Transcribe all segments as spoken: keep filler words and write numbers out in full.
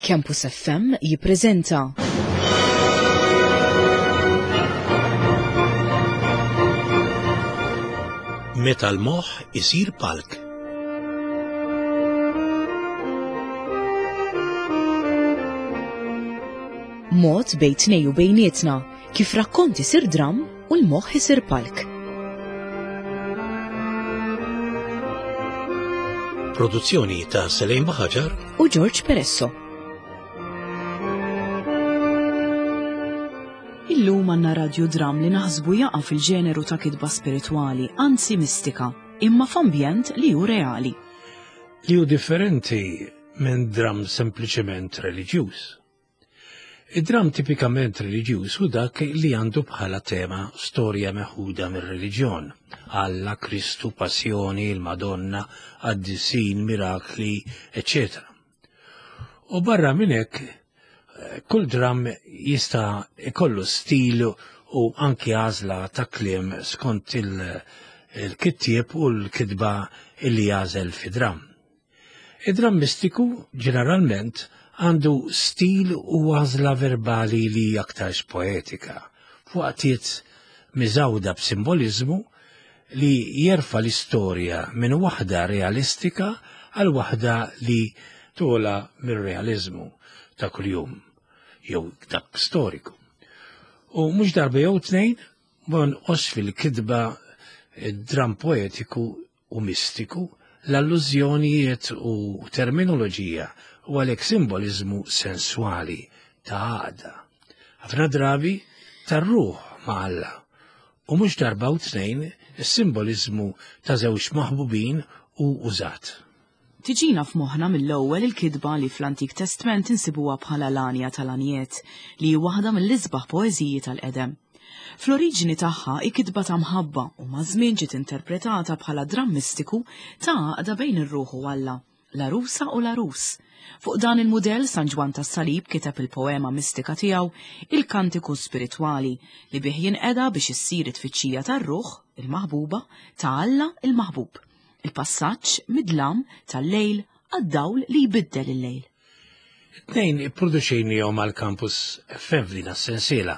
Campus F M jippreżenta Meta l-moħħ isir palk. Mod bejn tnejn u bejnietna kif rakkont isir dram u l-moħħ isir palk. Produzzjoni ta' Selejn Baħaġar u George Peresso. Illum għandna radiodram li naħsbu jaqa' fil-ġeneru ta' kitba spiritwali, anzi mistika, imma f'ambjent li hu reali. Li hu differenti minn dram sempliċement reliġjuż. Id-dram tipikament reliġjuż hu dak li għandu bħala tema storja meħuda mir-reliġjon. Alla, Kristu, Passjoni, il-Madonna, qaddisin, mirakli, eċċetera. U barra minn hekk, kull dram jista' ikollu stil u anki għażla ta' kliem skont il-kittieb u l-kitba illi jagħżel fi dram. Id-dram mistiku ġeneralment għandu stil u għażla verbali li aktarx poetika, f'waqtiet miżawda b'simboliżmu li jerfa' l-istorja minn waħda realistika għal waħda li tola mir-realiżmu ta' kuljum jew dak storiku. U mhux darba jew tnejn ma nqos fil-kitba dram poetiku u mistiku l-allużjonijiet u terminoloġija u għalhekk simboliżmu senswali ta' għaqda. Ħafna drabi tar-ruħ ma' Alla u mhux darba u tnejn is-simboliżmu ta' żewġ maħbubin u użat. Tiġina f'moħħna mill-ewwel il-kitba li fl-Antik Testment insibuha bħala l-għanja tal-għanjiet, li hi waħda mill-isbaħ poeżiji tal-qedem. Fl-oriġini tagħha hi kitba ta' mħabba u maż-żmien ġiet interpretata bħala dramm mistiku ta' għaqda bejn ir-ruħ u Alla, l-għarusa u l-għarus. Fuq dan il-mudell San Ġwann tas-Salib kiteb il-poema mistika tiegħu Il-Kantiku Spiritwali li bih jinqeda biex issir it-tfittxija tar-ruħ, il-maħbuba, ta' Alla il-maħbub. Il-passaġġ mid-dlam tal-lejl għad-dawl li jbiddel il-lejl. Tnejn ipproduċejnihom għal Campus F M f'din is-sensiela.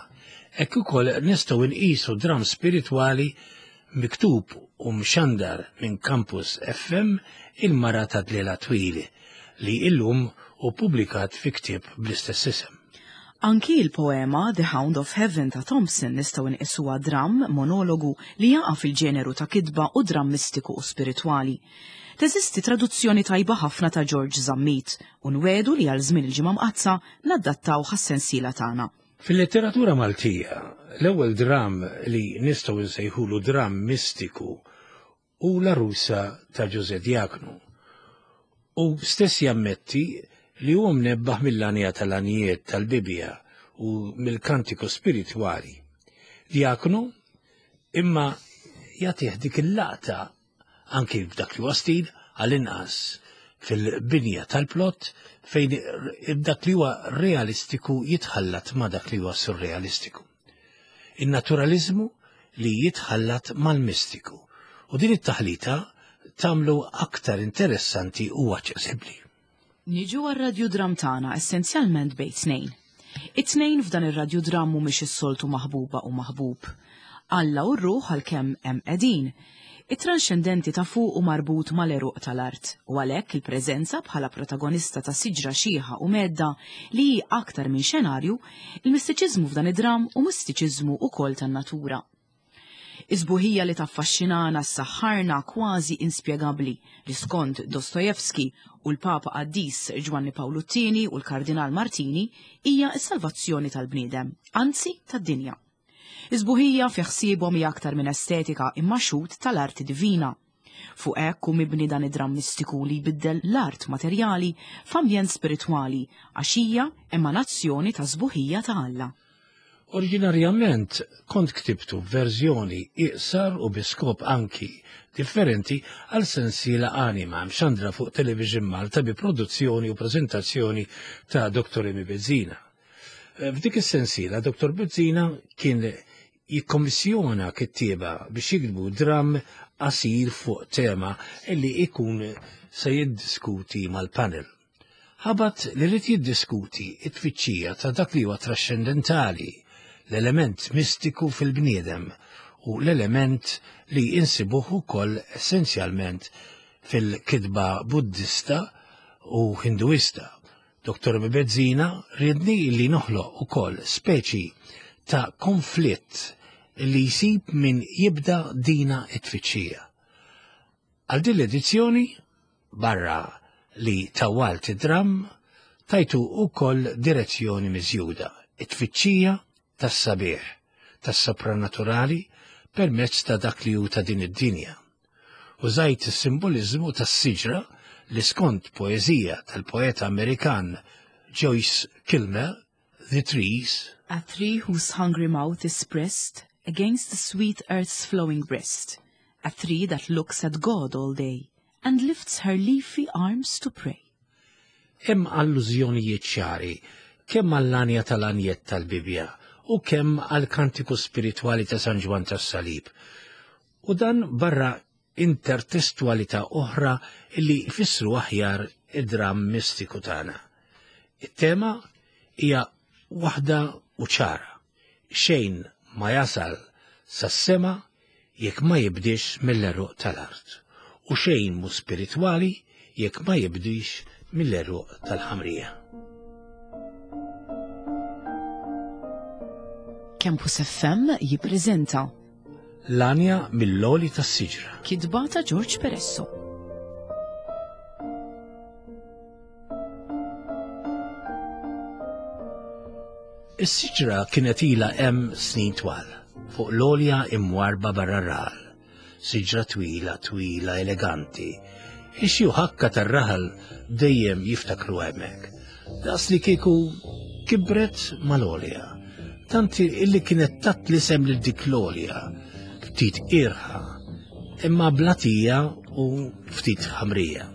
Hekk ukoll nistgħu nqisu dram spiritwali miktub u mxandar minn Campus F M, Il-Mara ta' Dlela Twil, li illum hu ppubblikat fi ktieb bl-istess isem. Anki il-poema The Hound of Heaven ta' Thompson nistgħu nqisuha dram monologu li jaqa' fil-ġeneru ta' kitba u dram mistiku u spiritwali. Teżisti traduzzjoni tajba ħafna ta' George Zammit u nwedu li għal żmien il-Ġimgħa Mqaddsa nadattaw għas-sensiela tagħna. Fil-letteratura Maltija, l-ewwel dram li nistgħu nsejħulu dram mistiku hu L-Għarusa ta' Ġużè Diaknu. U stess jammetti li huwa mnebbaħ mill-għanja tal-għanjiet tal-Bibja u mill-kantiku spiritwali. Diaknu imma jagħtih dik il-laqta anki f'dak li huwa stil, għall-inqas fil-binja tal-plot, fejn dak li huwa realistiku jitħallat ma' dak li huwa surrealistiku. In-naturalizmu li jitħallat mal-mistiku u din it-taħlita tagħmlu aktar interessanti u aċċessibbli. Niġu għar-radiodram tagħna essenzjalment bejn tnejn. It-tnejn f'dan ir-radiodram mhumiex is-soltu maħbuba u maħbub. Alla u r-ruħ għalkemm hemm qegħdin. It-tranxendenti ta' fuq u marbut mal-għeruq tal-art u għalhekk il-preżenza bħala protagonista ta' siġra xiħa u medda li hi aktar minn xenarju, il-mistiċiżmu f'dan id-dram u mistiċiżmu ukoll tan-natura. Is-sbuħija li taffaxxinana s-saħħarna kważi inspjegabbli li skont Dostojevski u l-Papa Qaddis Ġwanni Pawlu t-tieni u l-Kardinal Martini hija s-salvazzjoni tal-bniedem, anzi tad-dinja. Is-sbuħija fi ħsiebhom hija aktar minn estetika imma xhud tal-arti divina. Fuq hekk hu mibni dan id-dram mistiku li jbiddel l-art materjali f'ambjent spiritwali għax hija emanazzjoni ta' sbuħija ta' Alla. Oriġinarjament kont ktibtu verżjoni iqsar u bi skop anki differenti għal sensiela Anima mxandra fuq Television Malta bi produzzjoni u prezentazzjoni ta' Doktor Emi Bezzina. F'dik is-sensiela Doktor Bezzina kien jikkommissjona kittieba biex jiktbu dram qasir fuq tema illi ikun se jiddiskuti mal-panel. Ħabat li rrid jiddiskuti it-tfittxija ta' dak li huwa trascendentali, l-element mistiku fil-bniedem u l-element li insibuh ukoll essenzjalment fil-kitba Buddista u Hinduista. Doktor Bezzina riedni li noħloq ukoll speċi ta' konflitt li jsib min jibda dina it-tfittxija. Għal din l-edizzjoni, barra li tawalt id-dramm, tajtu ukoll direzzjoni miżjuda, it-tfittxija tas-sabiħ, tas-sopranaturali permezz ta' dak li hu ta' din id-dinja. Użajt is-simboliżmu tas-siġra li skont poeżija tal-poeta Amerikan Joyce Kilmer, The Trees, A tree whose hungry mouth is pressed against the sweet earth's flowing breast, a tree that looks at God all day and lifts her leafy arms to pray. Hemm allużjonijiet ċari kemm għall-għanja tal-għanjiet tal-Bibbja u kemm għall-kantiku spiritwali ta' San Ġwann tas-Salib. U dan barra intertestualità oħra li jfissru aħjar id-dramm mistiku tagħna. It-tema hija waħda u ċara. Xejn ma jasal sas-sema jekk ma jibdix mill-għeruq tal-art, u xejn mu spiritwali jekk ma jibdix mill-għeruq tal-ħamrija. Campus F M jippreżenta L-għanja mill-għoli tas-siġra. Kitba ta' George Peresso. Is-siġra kienet ilha hemm snin twal, fuq l-għolja imwarba barra r-raħal. Siġra twila, twila, eleganti. Ix-xi ħakka tar-raħal dejjem jiftakru hemmhekk. Daqs li kieku kibret mal-għolja. Tant illi kienet tat l-isem lil dik l-għolja, ftit irħa, imma blatija u ftit ħamrija.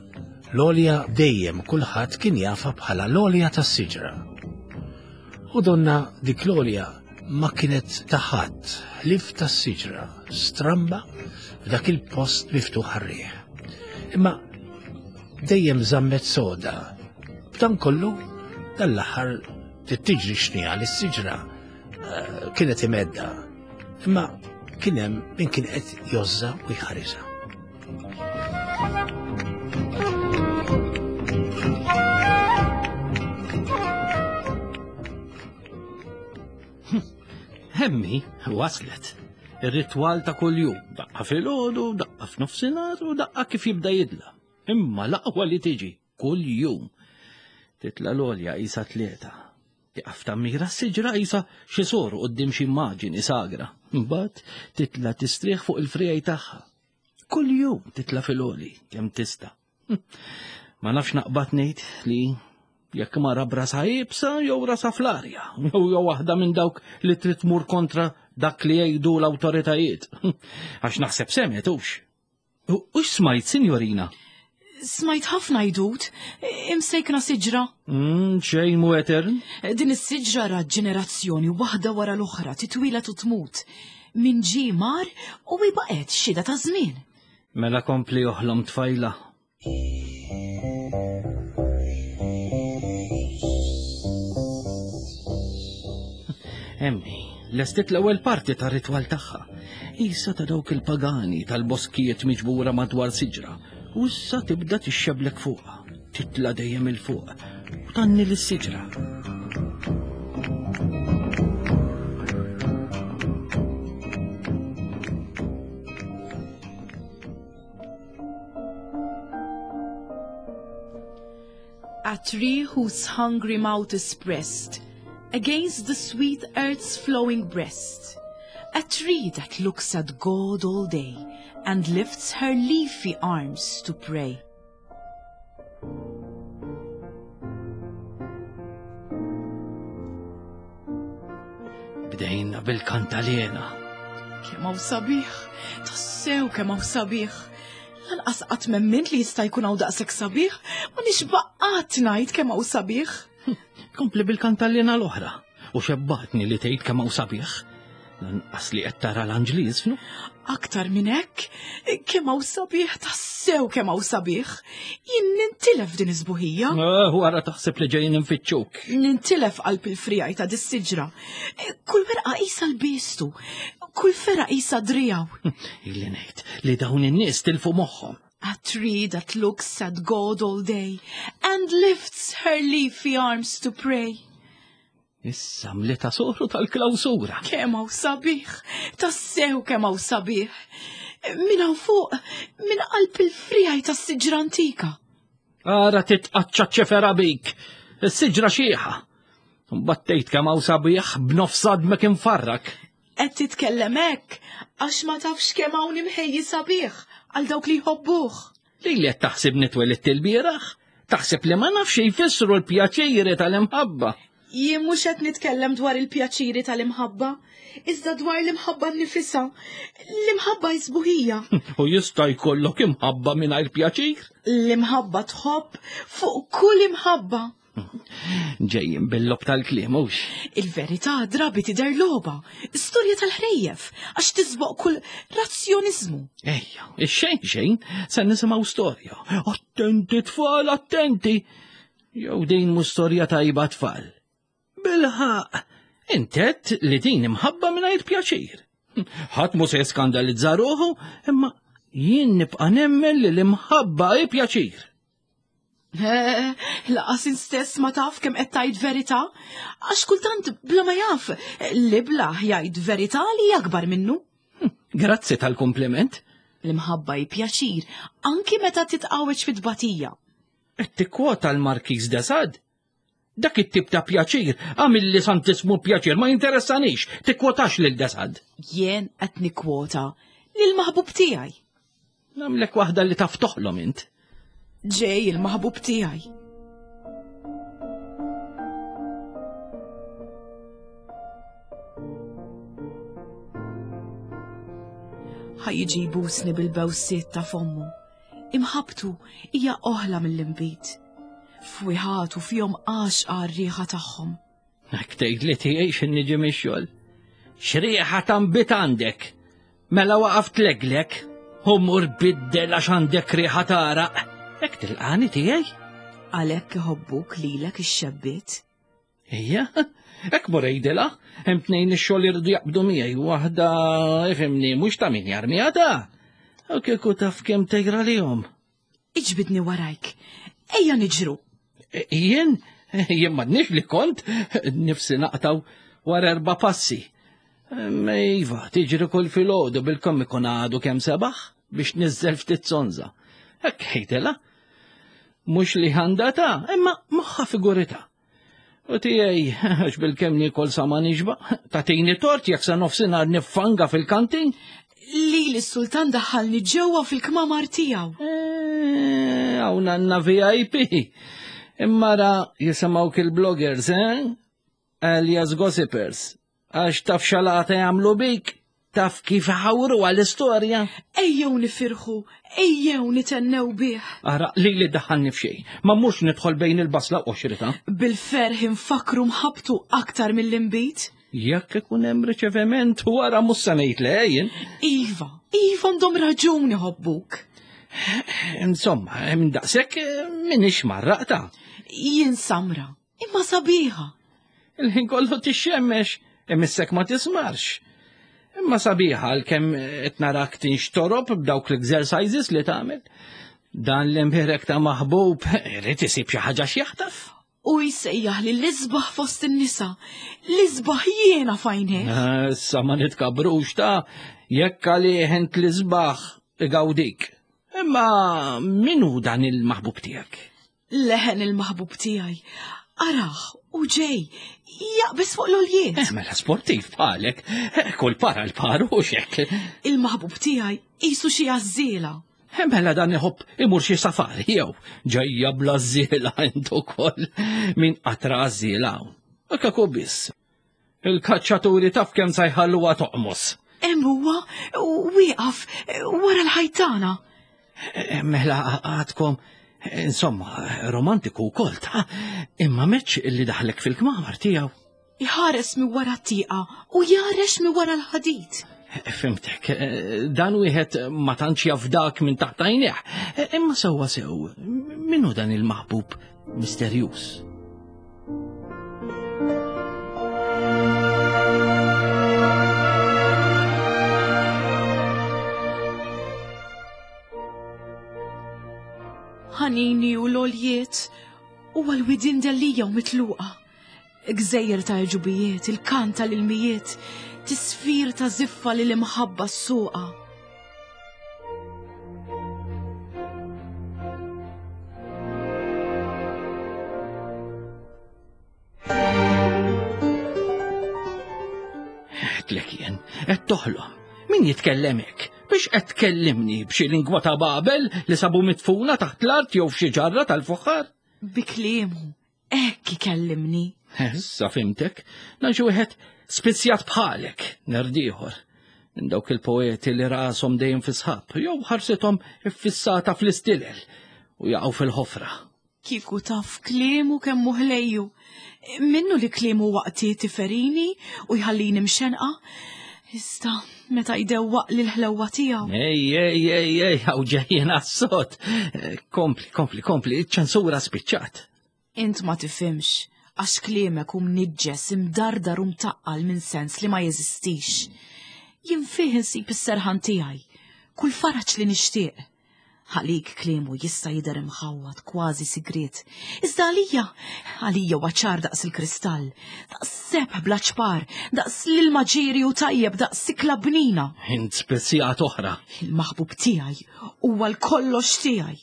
L-għolja dejjem kulħadd kien jafa bħala l-għolja tas-siġra. U donna dik l-għolja ma kienet taħat ħlief tas-siġra, stramba f'dak il-post miftuħ għar-riħ. Imma dejjem żammet soda. B'dan kollu dal-aħħar tiġri xnija lis-siġra kienet imedda. Imma kien hemm min kien qed jożża u jħarisha. Hemmi waslet. Ir-ritwal ta' kuljum, daqqa filgħodu, daqqa f'nofsinhar u daqqa kif jibda jidla. Imma l-aqwa li tiġi kuljum. Titla' l-għolja qisha tlieta. Tieqaf tammira s-siġra qisha xi sor quddiem xi immaġini sagra. Imbagħad titla' tistrieħ fuq il-frijaj tagħha. Kuljum titla' fil-għoli kemm tista'. Ma nafx naqbad ngħid li jekk mara brasa iebsa jew rasa fl-arja, jew jew waħda minn dawk li trid tmur kontra dak li jgħidu l-awtoritajiet. Għax naħseb semgħet hux. U x'smajt, sinjorina? Smajt ħafna jdut, imsejkna siġra. Mm, xejn mu etern. Din is-siġra ra ġenerazzjoni waħda wara l-oħra titwila u tmut. Min ġie mar u baqgħet xhieda ta' żmien. Mela kompli oħlom tfajla. Emmi, lestit l-ewwel parti tar-ritwal tagħha. Issa ta' dawk il-pagani tal-boskijiet miġbura madwar siġra. U issa tibda tixxeblek fuqha, titla' dejjem il fuq u tanni lis-siġra. A tree whose hungry mouth is pressed against the sweet earth's flowing breast. A tree that looks at God all day and lifts her leafy arms to pray. Bdejna bil-kantalena. Kemm hawn sabiħ, tassew kemm hawn sabiħ. Lanqas qatt m'emmint li jista' jkun hawn daqshekk sabiħ, ma nixba' qatt ngħid kemm hawn sabiħ. Kompli bil-kantalena l-oħra u xebbatni li tgħid kemm hawn sabiħ. Lanqas li qed tara l-anġli jiżfnu. Aktar minn hekk, kemm hawn sabiħ tassew kemm hawn sabiħ. Jien nintilef din iż-sbuħija. Eh, wara taħseb li ġejjin infittxuk. Nintilef qalb il-frijaj ta' dis-siġra. Kull werqa qisha l-biestu, kull fergħa qisha driegħu. Illi ngħid li dawn in-nies tilfu moħħhom. A tree that looks at God all day and lifts her leafy arms to pray. Issa mlita soru tal-klawsura. Kemm hawn sabiħ, tassew kemm hawn sabiħ. Minn hawn fuq, minn qalb il-frijaj tas-siġra antika. Ara titqaċċa ċefera bik. Is-siġra xieħa. Battejt kemm hawn sabiħ b'nofs għadmek infarrak. Qed titkellem hekk għax ma tafx kemm hawn imħejji sabiħ għal dawk li jħobbuh. Li li qed taħseb nitwelidt il-bieraħ? Taħseb li ma nafx jfissru l-pjaċiri tal-imħabba. Jien mhux qed nitkellem dwar il-pjaċiri tal-imħabba, iżda dwar l-imħabba nnifisha. L-imħabba sbuħija. U jista' jkollok imħabba mingħajr pjaċir? L-imħabba tħobb fuq kull imħabba. Ġejjin bil-lob tal-kliem hux. Il-verità drabi tidher logħba, storja tal-ħrejjef, għax tisboq kull razzjoniżmu. Ejja, ix-xejn xejn se nisimgħu storja. Attenti tfal, attenti. Jew din mhux storja tajba tfal. Bilħaq, intet li din imħabba mingħajr pjaċir. Ħadd mhu se jiskandalizza ruħu, imma jien nibqa' nemmen li l-imħabba hi pjaċir. Eh, Lanqas stess ma taf kemm qed tgħid verità, għax kultant bla ma jaf li bla jgħid verità li akbar minnu. Grazzi tal-kompliment. L-imħabba hi pjaċir, anki meta titqawweġ fit-tbatija. Qed tikkwota l-Markiż de Sade. Dak it-tip ta' pjaċir, għamil li santismu pjaċir, ma jinteressanix, tikkwotax lil de Sade. Jien qed nikkwota lil maħbub tiegħi. Nagħmlek waħda li taf toħlom int. Ġej il-maħbub tiegħi. Ħa jiġi jbusni bil-bewsiet ta' fommu. Imħabtu hija oħla mill-inbid. Fwiħatu fihom għaxqa r-riħa tagħhom. Hekk tgħid li tiegħi x'ħin niġi mix-xogħol. X'riħa ta' nbid għandek. Mela waqaf tleglek, u mur biddel għax għandek riħa t'għaraq. Hekk tilqani tiegħi? Għalhekk iħobbuk lilek ix-xebbiet. Ejja, hekk mur għidilha, hemm tnejn ix-xogħol iridu jaqbdu miegħi, waħda ifhimni mhux ta' min jarmiha ta'. U kieku taf kemm tegra lihom. Iġbidni warajk. Ejja niġru. E, Jien, jien m'għadniex li kont, nifsi naqtaw wara erba' passi. Ma Iva, tiġri kull filgħodu bil-kemm ikun għadu kemm sebaħ biex niżżel ftit sonza. Hekk ħejtela. Mhux li għandha ta' imma moħħa figurita. U tiegħi, għax bil-kemm niekol sa ma nixba, tagħtini tort jekk sa nofsinhar niffanga fil-kantin. Li l-sultan daħħalni ġewwa fil-kmamar tiegħu. Eh, hawn għandna V I P. Imma ra jisimgħu il-bloggers, eh? Alias gossipers. Għax taf xalata jagħmlu bik, taf kif ħawru għall-istorja. Ejjew nifirħu, ejjew nitennew bih. Ara, li li daħħalni f'xejn, ma mhux nidħol bejn il-basla u xrita. Bil-ferħ infakru mħabtu aktar mill-inbid. Jekk ikun hemm riċeviment wara mhux se ngħid le jien. Iva, iva għandhom raġun iħobbuk. Insomma, minn daqshekk m'iniex marraqta. Jien samra, imma sabiħa. Il-ħin kollu tixxemmex, imissek ma tismarx. Imma sabiħa għalkemm qed narak tinxtorob b'dawk l-exercises li tagħmel. Dan l-imbierek ta' maħbub irid isib xi ħaġa x'jaħtaf. U jsejjaħ li l-isbaħ fost in-nisa, l-isbaħ jiena f'għajnejh. Issa ma nitkabrux ta' jekk għalih int l-isbaħ igawdik. Imma min hu dan il-maħbub tiegħek? Leħen il-maħbub tiegħi. Araħ, u ġej, jaqbes fuq l-oljiet. Eh, mela sportiv bħalek, eh, kull para l-par u xek. Il-maħbub tiegħi qisu xi għażżiela. Eh, mela dan iħobb imur xi safari jew ġejja bla żiela int ukoll min qatra għażżiela hawn. Kaku biss. Il-kaċċaturi taf kemm sa jħalluha toqmos. Hemm huwa wieqaf wara l-ħajtana. Eh, Mela għadkom, insomma, romantiku wkoll ta' imma meċ illi daħlek fil-kmamar tiegħu. Iħares mi wara t-tieqa u jarex mi wara l-ħadid. Fimtek, dan wieħed ma tantx jafdak minn taħt għajnejh. Imma sewwa sew, min hu dan il-maħbub misterjuż? Ħanini u l-oljiet u għal-widin dellija u mitluqa. Gżejjer ta' ġubijiet, il-kant tal-ilmijiet, tisfir ta' ziffa li l-imħabba s-suqa. Għedtlek jien, qed toħlom. Min jitkellem hekk? Biex qed tkellimni b'xi lingwa ta' Babel li sabu mitfuna taħt l-art jew f'xi ġarra tal-fuħħar? Bi kliemu, hekk ikellimni. Issa fimtek, dan xi wieħed spizzjat bħalek, nerd ieħor. Minn dawk il-poeti li rashom dejjem fi sħab, jew ħarsithom iffissata fl-istilel u jaqgħu fil-ħofra. Kieku taf kliemu kemm hu ħlejju. Minnu li kliemu waqtiet iferini u jħallini mxenqa. Iżda meta jdewwaq li l-ħlewwa tiegħu. Ej, ej, ej, ej, hawn ġejjin għas-sod. Kompli, kompli, kompli, iċ-ċensura spiċċat. Int ma tifhimx, għax kliemek hu mniġġes, imdardar u mtaqqal minn sens li ma jeżistix. Jien fih insib is-serħan tiegħi, kull faraġ li nixtieq. Għalik kliemu jista' jidher imħawwad kważi sigriet. Iżda għalija, għalija huwa ċar daqs il-kristall, daqs sebħ bla ċpar, daqs l-ilma ġieri u tajjeb, daqs sikla bnina. Int spezzjat oħra. Il-maħbub tiegħi huwa l-kollox tiegħi.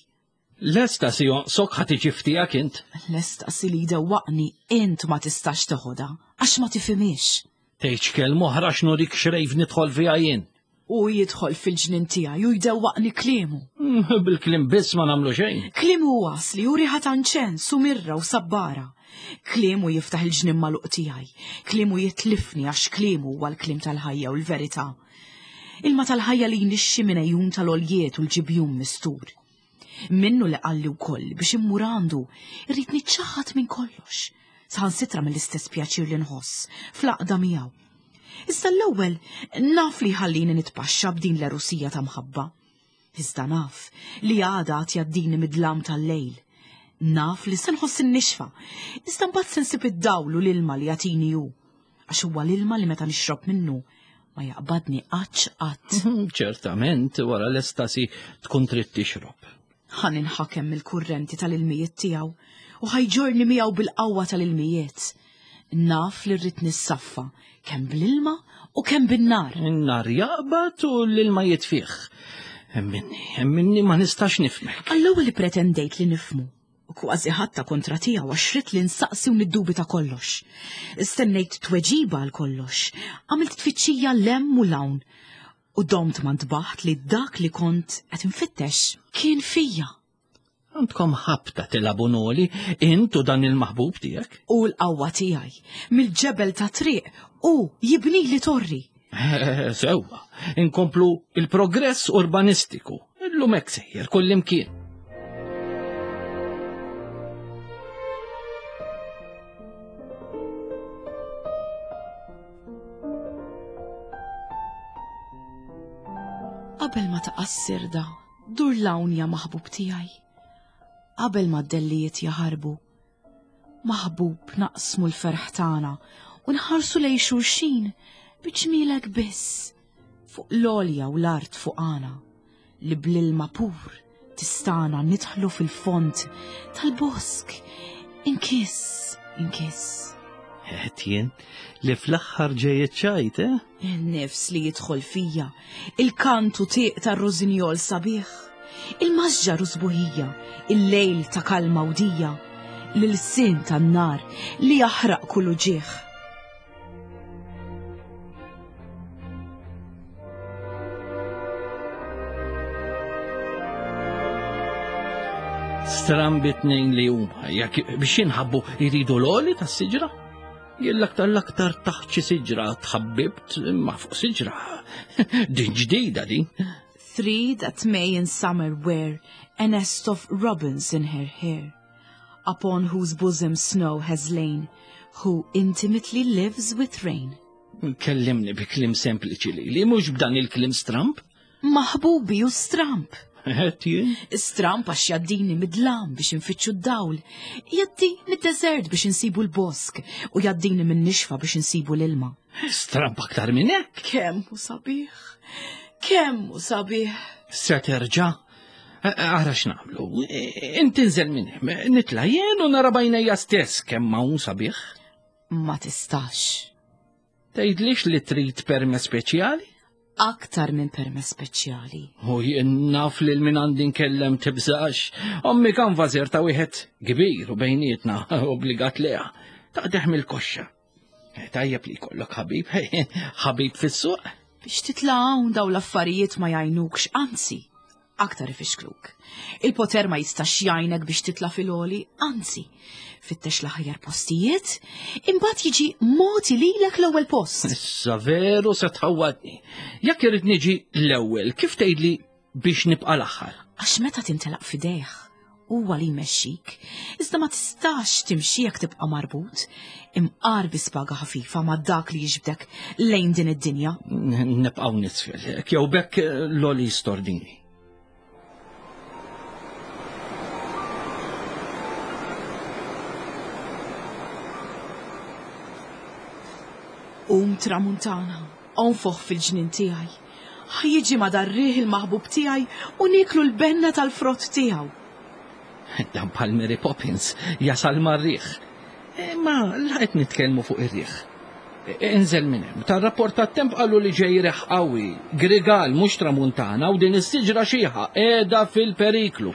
L-estasi jonqsok ħa tiġi f'tiegħek int. L-estasi li jdewwaqni int ma tistax teħodha għax ma tifhimhiex. Tgħidx kelma oħra x'nurik xrejf nidħol fiha jien. U jidħol fil-ġnien tiegħi u jdewwaqni kliemu. Mm, Bil-kliem biss ma nagħmlu xejn. Kliemu hu għasli u riħa ta' inċens u mirra u sabbara. Kliemu jiftaħ il-ġnien magħluq tiegħi. Kliemu jitlifni għax kliemu huwa l-kliem tal-ħajja u l-verità. Ilma tal-ħajja li jnixxi minn għejun tal-oljiet u l-ġibjun mistur. Minnu li qalli wkoll biex immur għandu, irrid niċċaħħad minn kollox, saħansitra mill-istess pjaċir li nħoss fl-għaqda miegħu. Iżda l-ewwel naf li ħallini nitpaxxa b'din l-erusija ta' mħabba. Iżda naf li għada għad jgħaddini mid-dlam tal-lejl. Naf li se nħoss in-nixfa, iżda mbagħad se nsib id-dawl u l-ilma li jagħtini hu. Għax huwa l-ilma li meta nixrob minnu ma jaqbadni qatt qatt. Ċertament, wara l-estasi tkun trid tixrob. Ħa ninħakem mill-kurrenti tal-ilmijiet tiegħu u ħajġorni miegħu bil-qawwa tal-ilmijiet. Naf li rrid nissaffa kemm bl-ilma u kemm bin-nar. In-nar jaqbad u l-ilma jitfih. Emminni, emminni ma nistax nifhmek. Għall-ewwel pretendejt li nifhmu u kważi ħadtha kontra tiegħu għax ridt li nsaqsi u niddubita kollox. Stennejt tweġiba għal kollox, għamilt tfittxija 'l hemm u 'l hawn u domt ma ntbaħt li dak li kont qed infittex kien fija. Għandkom ħabta tilagħbu noli, int u dan il-maħbub tiegħek. U l-qawwa tiegħi mill-ġebel ta' triq u jibni li torri. Eh, Sewwa, inkomplu il-progress urbanistiku. Illum hekk sejjer kullimkien. Qabel ma taqa' s-sirda, dur 'l hawn ja maħbub tiegħi. Qabel ma d-dellijiet jaħarbu. Maħbub naqsmu l-ferħ tagħna u nħarsu lejn xulxin bi ġmielek biss fuq l-għolja u l-art fuqana li bl-ilma pur tistana nidħlu fil-fond tal-bosk inkiss, inkiss. Għedt jien li fl-aħħar ġej iċ-ċajt, eh? Il-nifs li jidħol fija, il-kantu tieq tar-rosinjol sabiħ, il-masġar u sbuħija, il-lejl ta' kalma u dija, l-ilsien tan-nar li jaħraq kull uġigħ. Strambi tnejn li huma, jekk biex jinħabbu jridu l-għoli tas-siġra. Jien l-aktar l-aktar taħt xi siġra tħabbibt ma fuq siġra. Din ġdida din. Three that may in summer wear a nest of robins in her hair. upon whose bosom snow has lain, who intimately lives with rain. Kellimni bi kliem sempliċi li, li mhux b'dan il-kliem stramp. Maħbubi u stramp. Qed jien? Stramp għax jaddini mid-dlam biex infittxu d-dawl, jaddi mid-deżert biex insibu l-bosk u jaddini min-nixfa biex insibu l-ilma. Stramp aktar minn hekk. Kemm hu sabiħ, kemm hu sabiħ. Se terġa'? Ara x'nagħmlu. Inti nżel minn hemm, nitla' jien u nara b'għajnejja stess kemm hawn sabiħ. Ma tistax. Tgħidlix li trid permess speċjali? Aktar minn permess speċjali. U jien naf lil min għandi nkellem tibżax. Ommi kan vażer ta' wieħed kbir u bejnietna obbligat leha. Taqdeħ mill-koxxa. Tajjeb li jkollok ħabib, ħabib fis-suq. Biex titla' hawn daw l-affarijiet ma jgħinukx, anzi, aktar ifixkluk. Il-poter ma jistax jgħinek biex titla' fil-għoli, anzi, fittex l-aħjar postijiet, imbagħad jiġi mogħti lilek l-ewwel post. Issa veru se tħawwadni. Jekk irid niġi l-ewwel, kif tgħidli biex nibqa' l-aħħar? Għax meta tintelaq f'idejh, huwa li jmexxik, iżda ma tistax timxi jekk tibqa' marbut, imqar bi spaga ħafifa ma' dak li jiġbdek lejn din id-dinja. Nibqgħu nisfel, jew bekk l-għoli jistordini. Um tramuntana, onfoħ fil-ġnien tiegħi. Ħa jiġi ma darriħ il-maħbub tiegħi u nieklu l-benna tal-frott tiegħu. Dan bħal Mary Poppins jasal mar-riħ. Ma la qed nitkellmu fuq ir-riħ. Inżel minn hemm. Tar-rapport tat-temp qalu li ġej riħ qawwi, grigal mhux tramuntana u din is-siġra xiħa qiegħda fil-periklu.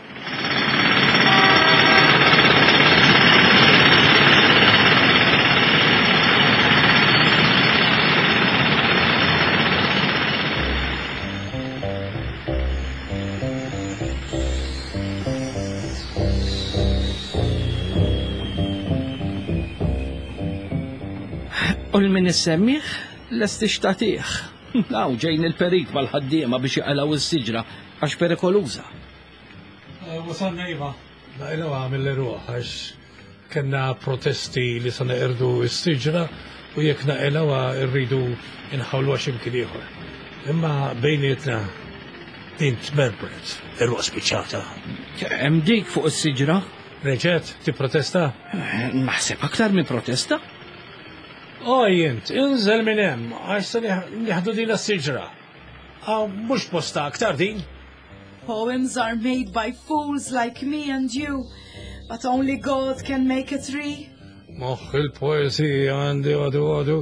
U l-min issemmih, lest ixtatih. Law ġejn il-perit mal-ħaddiema biex jaqalgħu s-siġra għax perikoluża. Wasalna iva, naqilgħuha mill-eruħ għax kellna protesti li se neqirdu s-siġra u jekk naqilgħuha rridu nħawluha x'imkien ieħor. Imma bejnietna din tmerbret, eruq spiċċata. Hemm dik fuq is-siġra? Reġgħet tipprotesta? Naħseb aktar minn protesta. Oj, int, inżel minn hemm, għax se nieħdu din is-siġra. Mhux posta aktar din. Poems are made by fools like me and you, but only God can make a tree. Moħħ il-poezija għandi għadu għadu,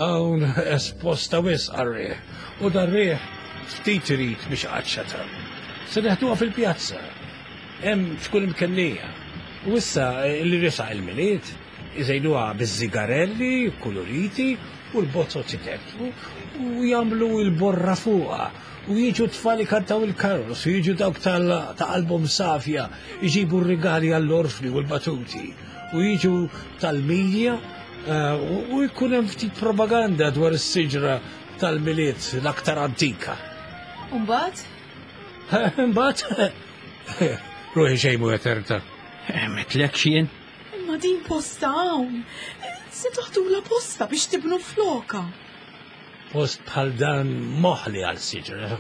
hawn esposta wisq għar-riħ, u dar-riħ ftit irid biex qaċċata. Se neħduha fil-pjazza, hemm tkun imkennija. U issa li resaq il-Milied, iżejnuha biż-żigarelli, kuluriti u l-bozzot iteppu u jagħmlu l-borra fuqha u jiġu tfal ikantaw il-karos u jiġu dawk ta' qalbhom safja jġibu r-rigali għall-orfni u l-batuti u jiġu tal-medja u jkun hemm ftit propaganda dwar is-siġra tal-Milied l-aktar antika. U mbagħad? Imbagħad? Ruħi xejn mhu eterta. Metlek jien? Ma din posta hawn. Se toħdula posta biex tibnu floka. Post bħal dan moħli għal siġra,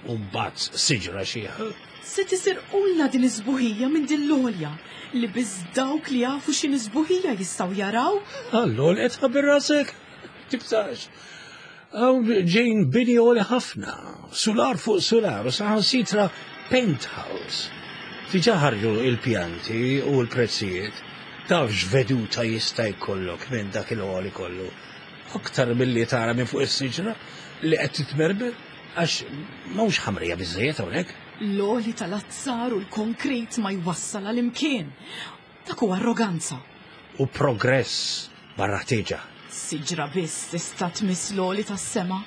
u mbagħad siġra xiħa. Se tisirqulna din iż-żbuħija minn din l-għolja li biss dawk li jafu x'in iż-żbuħija jistgħu jaraw. Allol qed ħabir rasek. Tibtax. Hawn ġejn bini għoli ħafna, sular fuq sular, u saħansitra penthouse. Diġà ħarġu il-pjanti u l-prezzijiet. Taf x'veduta jista' jkollok minn dak il-għoli kollu. Aktar milli tara minn fuq is-siġra li qed titmerber għax m'hawnx ħamrija biżżejjed hawnhekk. L-għoli tal-azzar u l-konkret ma jwassal għal imkien. Dak huwa arroganza. U progress barra ħtieġa. Siġra biss tista' tmiss l-għoli tas-sema.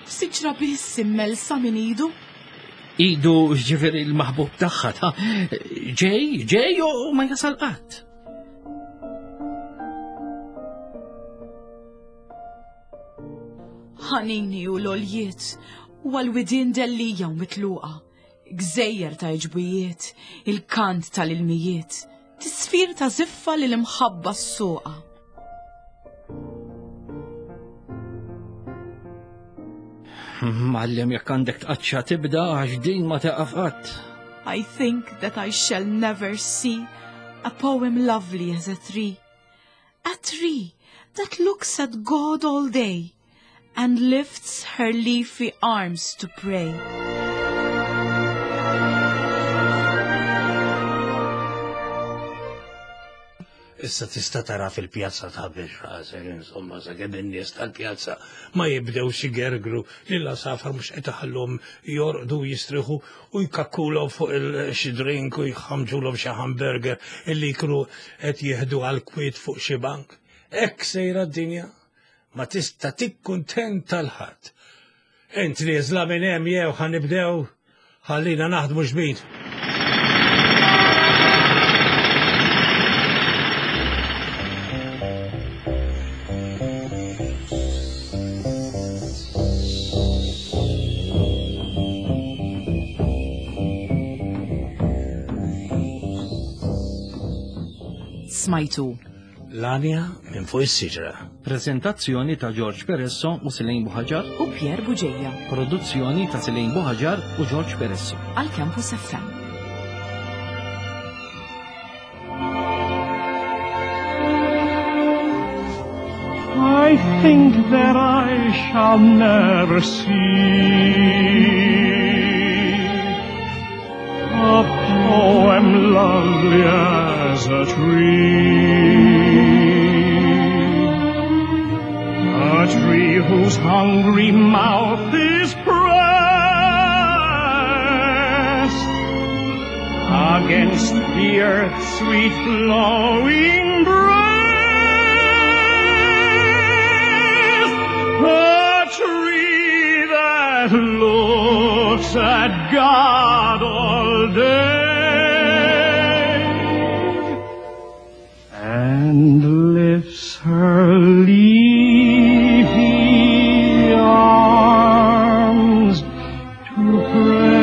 Siġra biss immelsa minn idu. Idu ġifieri l-maħbub tagħha ta' ġej, ġej u ma jasal qatt. Ħanini u l-oljiet, u għal-widien dellija u mitluqa, gżejjer ta' iġbijiet, il-kant tal-ilmijiet, Tisfir ta' ziffa li l-imħabba s-suqa. Mallem jekk għandek tqaċċa tibda għax din ma taqaf qatt. I think that I shall never see a poem lovely as a tree. A tree that looks at God all day and lifts her leafy arms to pray. Issa tista' tara fil-pjazza ta' biex rasek, insomma, sakemm in-nies tal-pjazza ma jibdewx igergru li l-għasafar mhux qed iħallhom jorqdu jistriħu u jkakkulhom fuq il-xi drink u jħamġulhom xi hamburger illi jkunu qed jieħdu għal kwiet fuq xi bank. Hekk sejra d-dinja ma tista' tikkuntenta l-ħadd. Int nieżla minn hemm jew ħa nibdew ħallina naħdmu xbin. Smajtu. L-Għanja minn fuq is-siġra. Prezentazzjoni ta' George Peresso u Selene Buhaġar. U Pierre Buġeja. Produzzjoni ta' Selene Buhaġar u George Peresso. Għal Campus F M. I think that I shall never see a poem lovely as a tree, a tree whose hungry mouth is pressed against the earth's sweet flowing breast, a tree that looks at God all day and lifts her leafy arms to pray.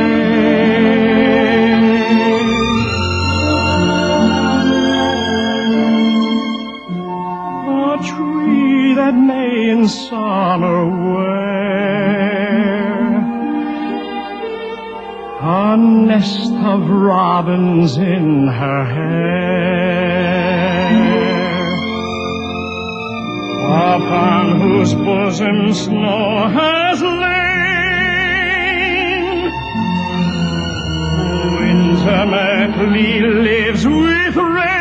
A tree that may in summer wear a nest of robins in her hair, upon whose bosom snow has lain, who intimately lives with rain.